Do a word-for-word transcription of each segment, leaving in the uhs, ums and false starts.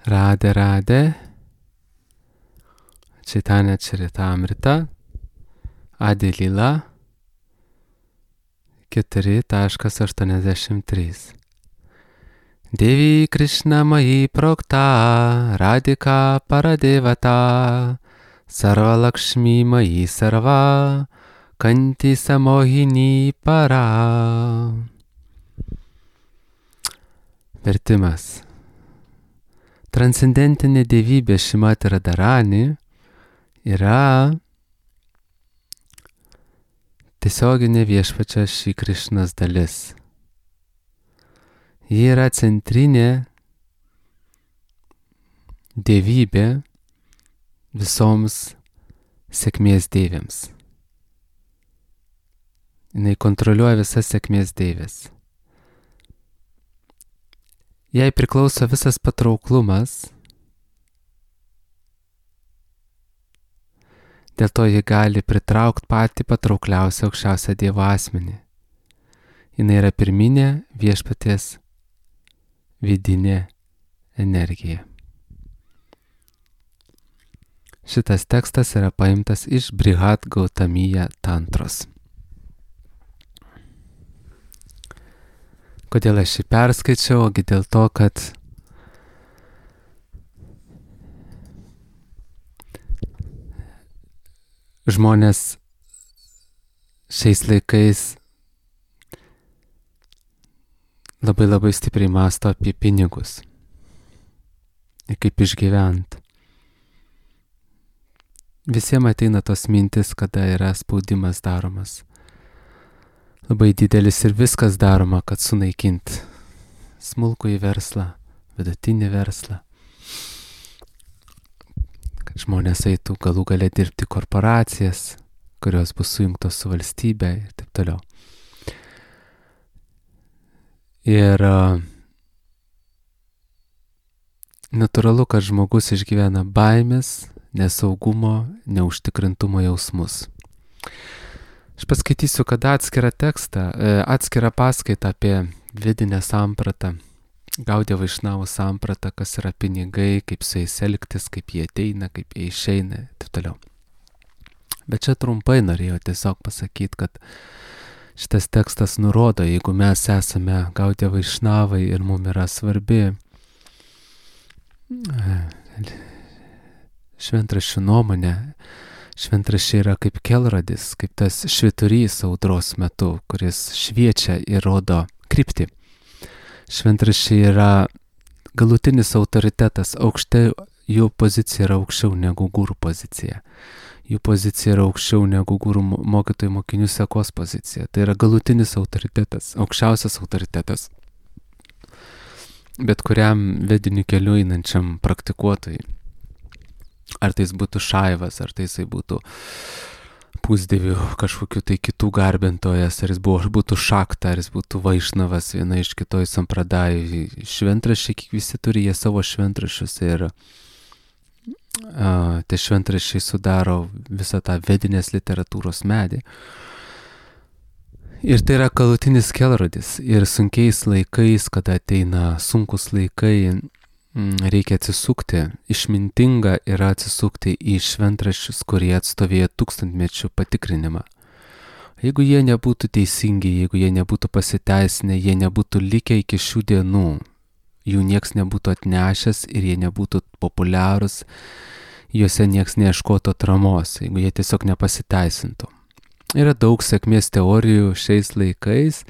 Radhe Radhe, Chaitanya Charitamrita, Adi Lila, keturi aštuoniasdešimt trys. Devi Krishna Mayi Prokta, Radhika Paradevata, Sarva Lakshmi Mayi Sarva, Kanti Samohini Para. Vertimas. Transcendentinė dievybė Šrimati Radharani yra tiesioginė viešpačio Šri Krišnos dalis. Ji yra centrinė dievybė visoms sėkmės deivėms. Jinai kontroliuoja visas sėkmės deivės. Jai priklauso visas patrauklumas, dėl to ji gali pritraukti patį patraukliausią aukščiausią Dievo asmenį. Jinai yra pirminė viešpaties vidinė energija. Šitas tekstas yra paimtas iš Brihad Gautamija tantros. Kodėl aš jį perskaičiau? Ogi dėl to, kad žmonės šiais laikais labai labai stipriai mąsto apie pinigus ir kaip išgyvent. Visiems ateina tos mintis, kada yra spaudimas daromas labai didelis ir viskas daroma, kad sunaikint smulkųjį verslą, vidutinį verslą, kad žmonės eitų galų gale dirbti korporacijas, kurios bus sujungtos su valstybe ir taip toliau. Ir uh, natūralu, kad žmogus išgyvena baimės, nesaugumo, neužtikrintumo jausmus. Aš paskaitysiu, kad atskirą tekstą, atskirą paskaitą apie vidinę sampratą, Gaudiya Vaišnavų sampratą, kas yra pinigai, kaip su jais elgtis, kaip jie ateina, kaip jie išeina ir taip toliau. Bet čia trumpai norėjau tiesiog pasakyti, kad šitas tekstas nurodo, jeigu mes esame Gaudiya Vaišnavai ir mums yra svarbi šventraščių nuomonė, šventraščiai yra kaip kelrodis, kaip tas švyturys audros metu, kuris šviečia ir rodo kryptį. Šventraščiai yra galutinis autoritetas, aukštai, jų pozicija yra aukščiau negu gurų pozicija. Jų pozicija yra aukščiau negu gurų mokytojų mokinių sekos pozicija. Tai yra galutinis autoritetas, aukščiausias autoritetas. Bet kuriam vediniu keliu einančiam praktikuotojui. Ar tai būtų šaivas, ar tai būtų pusdievių kažkokių tai kitų garbintojas, ar jis buvo, būtų šakta, ar jis būtų vaišnavas, viena iš kitoj sampradajų. Šventraščiai, visi turi jie savo šventraščius ir a, tie šventraščiai sudaro visą tą vedinės literatūros medį. Ir tai yra galutinis kelrodis. Ir sunkiais laikais, kada ateina sunkus laikai, reikia atsisukti, išmintinga yra atsisukti į šventraščius, kurie atstovėjo tūkstantmečių patikrinimą. Jeigu jie nebūtų teisingi, jeigu jie nebūtų pasiteisinę, jie nebūtų likę iki šių dienų, jų nieks nebūtų atnešęs ir jie nebūtų populiarūs, juose nieks neieškotų atramos, jeigu jie tiesiog nepasiteisintų. Yra daug sėkmės teorijų šiais laikais,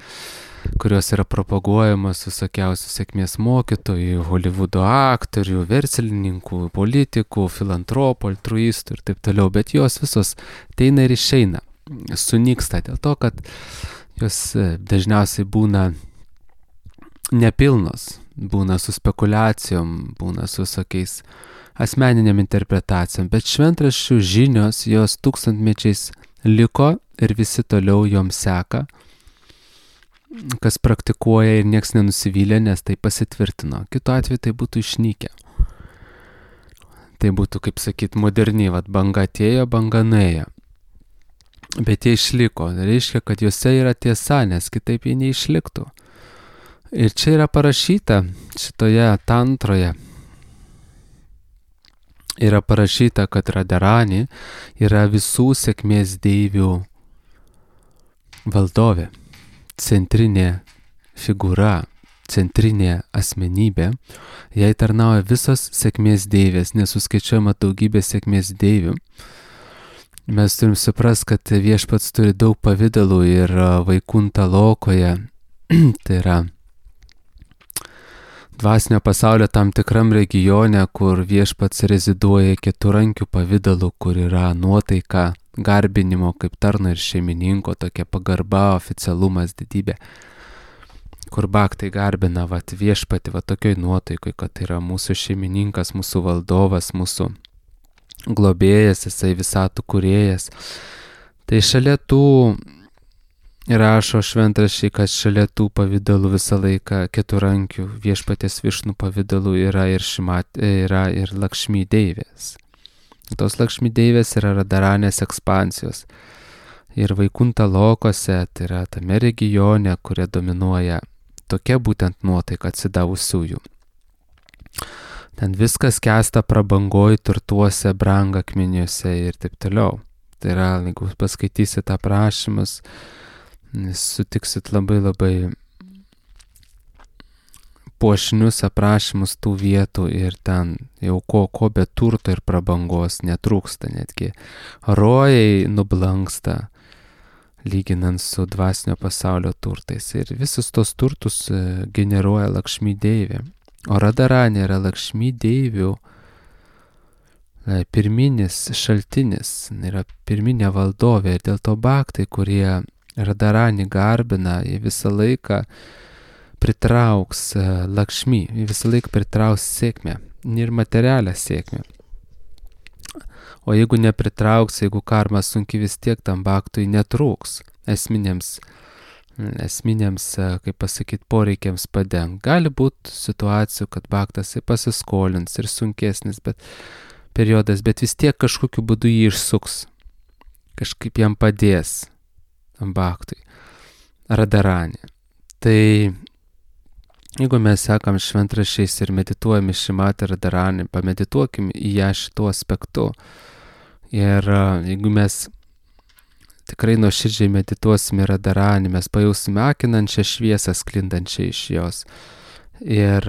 kurios yra propaguojamos visokiausių sėkmės mokytojų, Hollywoodo aktorių, verslininkų, politikų, filantropų, altruistų ir taip toliau, bet jos visos ateina ir išeina, sunyksta dėl to, kad jos dažniausiai būna nepilnos, būna su spekulacijom, būna su visokiais asmeniniam interpretacijom, bet šventraščių žinios jos tūkstantmečiais liko ir visi toliau joms seka, kas praktikuoja ir nieks nenusivylė, nes tai pasitvirtino. Kitu atveju tai būtų išnykę. Tai būtų, kaip sakyt, moderniai, vat banga atėjo, banga nuėjo. Bet jie išliko. Tai reiškia, kad juose yra tiesa, nes kitaip jie neišliktų. Ir čia yra parašyta šitoje tantroje, yra parašyta, kad Radharani yra visų sėkmės deivių valdovė, centrinė figūra, centrinė asmenybė. Jai tarnauja visos sėkmės deivės, nesuskaičiuojama daugybė sėkmės deivių. Mes turim suprasti, kad viešpats turi daug pavydalų ir Vaikunta Lokoje, tai yra dvasinio pasaulio tam tikram regione, kur viešpats reziduoja keturankių pavidalu, kur yra nuotaika, garbinimo kaip tarno ir šeimininko, tokia pagarba, oficialumas, didybė, kur bhaktai garbina vat, viešpati va tokioj nuotaikoj, kad yra mūsų šeimininkas, mūsų valdovas, mūsų globėjas, jisai visatų kūrėjas. Tai šalia tų rašo šventraščiai, kad šalia tų pavydalų visą laiką keturankių viešpatės Višnų pavydalų yra ir, šimat, yra ir Lakšmi deivės. Tos Lakšmi deivės yra Radharanės ekspansijos. Ir Vaikunta Lokose, tai yra tame regione, kurie dominuoja tokia būtent nuotaika atsidavusiųjų. Ten viskas kesta prabangoj, turtuose, brangakmeniuose ir taip toliau. Tai yra, jeigu paskaitysit aprašymus, sutiksit labai labai puošnius aprašymus tų vietų ir ten jau ko, ko be turto ir prabangos netrūksta, netgi rojai nublanksta, lyginant su dvasinio pasaulio turtais. Ir visus tos turtus generuoja Lakšmi deivė. O Radharani yra Lakšmi deivių pirminis šaltinis, yra pirminė valdovė. Ir dėl to bhaktai, kurie Radharani garbina, jie visą laiką pritrauks Lakšmi, jie visą laiką pritrauks sėkmę ir materialią sėkmę. O jeigu nepritrauks, jeigu karma sunki, vis tiek tam bhaktui netrūks esminėms, esminėms, kaip pasakyti, poreikiams padeng. Gali būti situacijų, kad bhaktas pasiskolins ir sunkesnis bet, periodas, bet vis tiek kažkokiu būdu jį išsuks. Kažkaip jam padės tam bhaktui. Radharani. Tai jeigu mes sekam šventraščiais ir medituojame Šrimatį Radharani, pamedituokim į ją šituo aspektu. Ir jeigu mes tikrai nuoširdžiai medituosime Radharani, mes pajausime akinančią šviesą sklindančią iš jos. Ir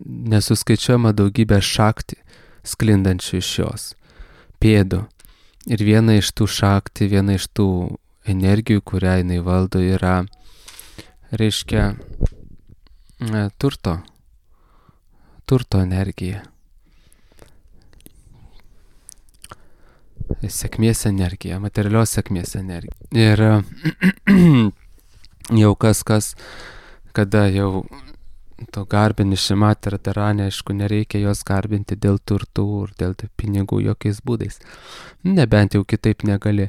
nesuskaičiuojama daugybė šakti sklindančių iš jos pėdų. Ir viena iš tų šakti, viena iš tų energijų, kurią jinai valdo, yra, reiškia, turto, turto energija. Sėkmės energija, materialios sėkmės energija. Ir jau kas kas, kada jau to garbini Šrimatį Radharani, aišku, nereikia jos garbinti dėl turtų ir dėl pinigų jokiais būdais. Nebent jau kitaip negali.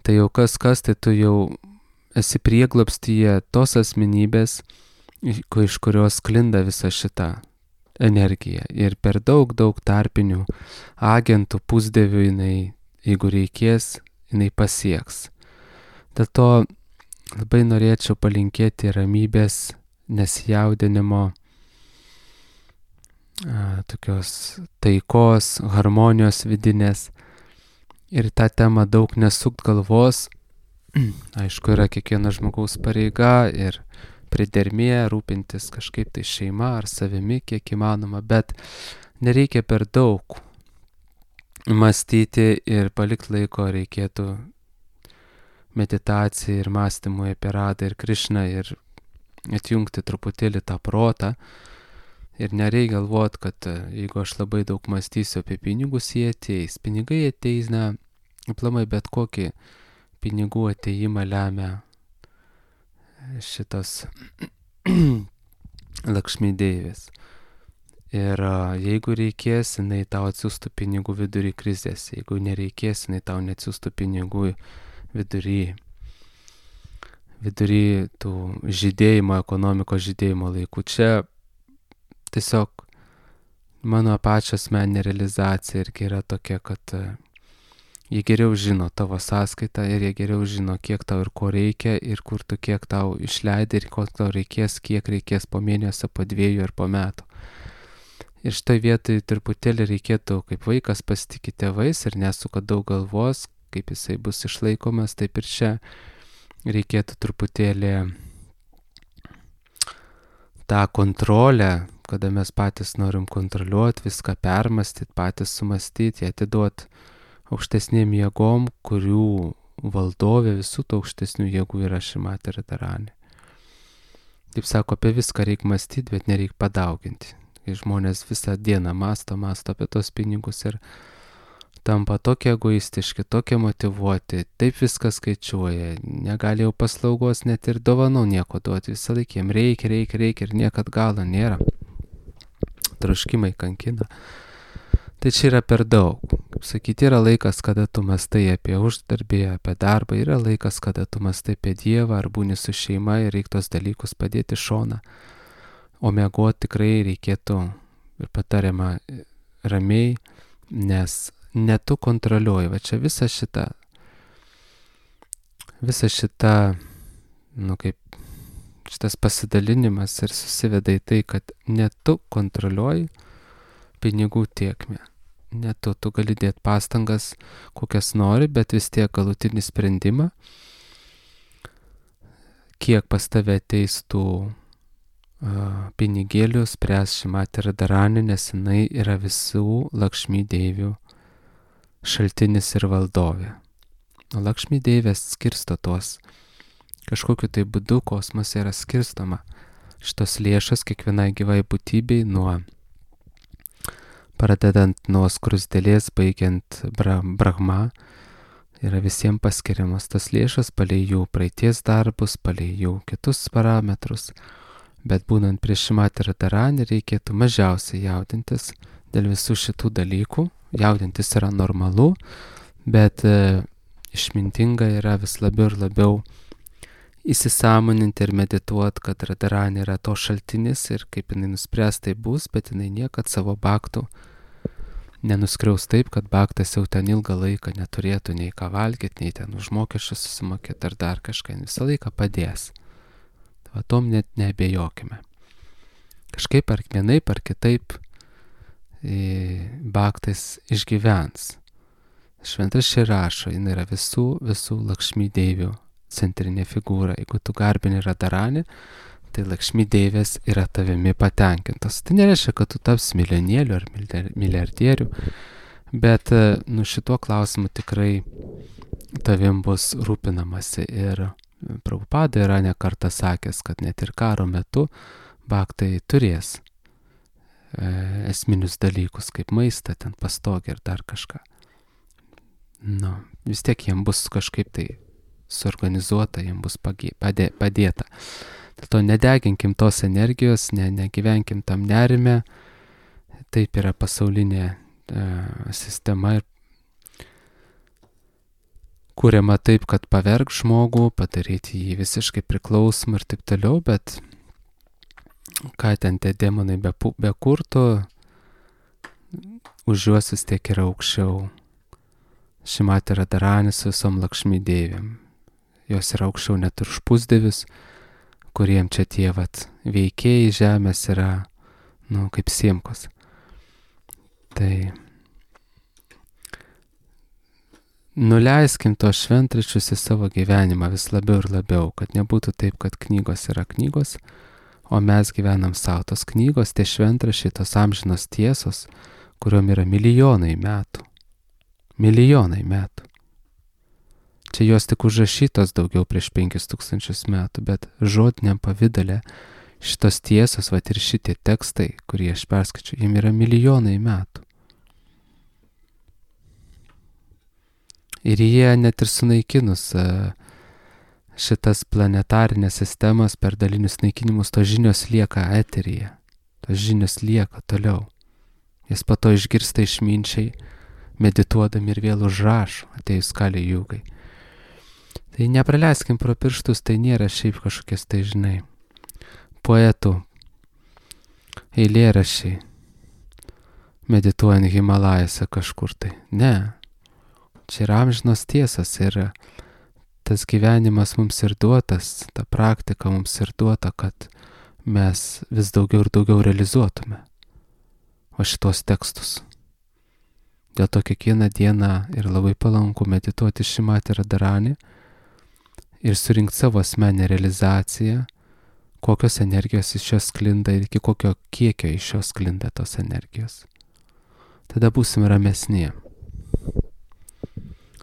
Tai jau kas kas, tai tu jau esi prieglobstyje tos asmenybės, iš kurios sklinda visa šita energija. Ir per daug, daug tarpinių agentų, pusdievių jinai, jeigu reikės, jinai pasieks. Dėl to labai norėčiau palinkėti ramybės, nesijaudinimo, tokios taikos, harmonijos vidinės. Ir tą temą daug nesukt galvos. Aišku, yra kiekvieno žmogaus pareiga ir pridermė rūpintis kažkaip tai šeima ar savimi, kiek įmanoma, bet nereikia per daug mąstyti ir palikti laiko reikėtų meditacijai ir mąstymui apie Radą ir Krišną ir atjungti truputėlį tą protą. Ir nereikia galvoti, kad jeigu aš labai daug mąstysiu apie pinigus, jie ateis. Pinigai ateis, na, aplamai bet kokį pinigų ateimą lemia šitos Lakšmi deivės. Ir jeigu reikės, jinai tau atsiųstų pinigų vidury krizės. Jeigu nereikės, jinai tau neatsiųstų pinigų vidury, vidury tų žydėjimo, ekonomikos žydėjimo laikų. Čia tiesiog mano pačios asmeninė realizacija irgi yra tokia, kad jie geriau žino tavo sąskaitą ir jie geriau žino, kiek tau ir ko reikia ir kur tu kiek tau išleidai ir ko tau reikės, kiek reikės po mėnesio, po dviejų ir po metų. Ir šitoj vietoj truputėlį reikėtų, kaip vaikas pasitikė tėvais ir nesuka daug galvos, kaip jisai bus išlaikomas, taip ir čia reikėtų truputėlį tą kontrolę, kada mes patys norim kontroliuoti, viską permastyti, patys sumastyti, atiduoti aukštesnėm jėgom, kurių valdovė visų tų aukštesnių jėgų yra Šrimatė Radharani. Kaip sako, apie viską reikia mąstyti, bet nereikia padauginti. Kai žmonės visą dieną masto, masto apie tos pinigus ir tampa tokie egoistiški, tokie motivuoti, taip viską skaičiuoja, negali jau paslaugos net ir dovanų nieko duoti, visą laiką jiem reikia, reikia, reikia ir niekad galo nėra. Troškimai kankina. Tai čia yra per daug. Kaip sakyti, yra laikas, kada tu mastai apie uždarbį, apie darbą, yra laikas, kada tu mastai apie Dievą ar būni su šeima ir reikia tos dalykus padėti šoną. O miegoti tikrai reikėtų ir patariama ramiai, nes ne tu kontroliuoji. Va čia visa šita, visa šita, nu kaip, šitas pasidalinimas ir susiveda į tai, kad ne tu kontroliuoji pinigų tiekmę. Ne tu, tu gali dėti pastangas, kokias nori, bet vis tiek galutinį sprendimą, kiek pas tave ateis tų pinigėlių spręs Šrimatė Radharani, nes jinai yra visų Lakšmi deivių šaltinis ir valdovė. O Lakšmi deivės skirsto tuos. Kažkokiu tai būdu kosmose yra skirstoma šitos lėšas kiekvienai gyvai būtybei, nuo pradedant nuo skrusdėlės, baigiant bra, Brahma, yra visiems paskiriamos tas lėšas palei jų praeities darbus, palei jų kitus parametrus. Bet būnant prie Šrimatė Radharani reikėtų mažiausiai jaudintis dėl visų šitų dalykų. Jaudintis yra normalu, bet e, išmintinga yra vis labiau ir labiau įsisąmoninti ir medituoti, kad Radharani yra to šaltinis ir kaip jinai nuspręs tai bus, bet jinai niekad savo bhaktų nenuskriaus taip, kad bhaktas jau ten ilgą laiką neturėtų nei ką valgyti, nei ten už mokesčius susimokėti ar dar kažką, visą laiką padės. O tom net neabejokime. Kažkaip ar vienaip ar kitaip e, bhaktas išgyvens. Šventraščiai rašo, jin yra visų, visų Lakšmi deivių centrinė figūra. Jeigu tu garbini Radharani, tai Lakšmi deivės yra tavimi patenkintos. Tai nereiškia, kad tu taps milijonieriu ar milijardieriu, bet nu, šituo klausimu tikrai tavim bus rūpinamasi. Ir Prabhupada yra ne kartą sakęs, kad net ir karo metu bhaktai turės e, esminius dalykus, kaip maistą, ten pastogę ir dar kažką. Nu, vis tiek jiem bus kažkaip tai suorganizuota, jiem bus pagė, padė, padėta. Dėl to nedeginkim tos energijos, ne, negyvenkim tam nerime. Taip yra pasaulinė e, sistema ir kuriama taip, kad paverg žmogų, padaryti jį visiškai priklausomą ir taip toliau, bet ką ten tie demonai be, be kurtų, už juos vis tiek yra aukščiau Šrimatė Radharani su visom Lakšmi deivėm. Jos yra aukščiau net už pusdievius, kuriem čia tie vat veikėjai žemės yra, nu, kaip siemkos. Tai nuleiskim tos šventraščius į savo gyvenimą vis labiau ir labiau, kad nebūtų taip, kad knygos yra knygos, o mes gyvenam savo. Tos knygos, tie šventraščiai, tos amžinos tiesos, kuriuom yra milijonai metų. Milijonai metų. Čia jos tik užrašytos daugiau prieš penkis tūkstančius metų, bet žodiniam pavidale šitos tiesos, vat ir šitie tekstai, kurie aš perskaičiu, jiem yra milijonai metų. Ir jie net ir sunaikinus šitas planetarinės sistemas per dalinius naikinimus, tos žinios lieka eteryje. Tos žinios lieka toliau. Jas po to išgirsta išminčiai, medituodami ir vėl užrašo, atėjus Kali Jugai. Tai nepraleiskim pro pirštus, tai nėra šiaip kažkokias, tai žinai, poetų eilėraščiai, medituojant Himalajose kažkur tai. Ne. Čia yra amžinos tiesas ir tas gyvenimas mums ir duotas, ta praktika mums ir duota, kad mes vis daugiau ir daugiau realizuotume. o šitos tekstus. Dėl to kiekvieną dieną ir labai palanku medituoti Šrimati Radharani ir surinkti savo asmenę realizaciją, kokios energijos iš jos sklinda ir iki kokio kiekio iš jos sklinda tos energijos. Tada būsim ramesni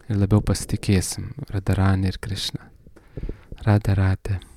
ir labiau pasitikėsim Radharani ir Krishna. Radha Radha.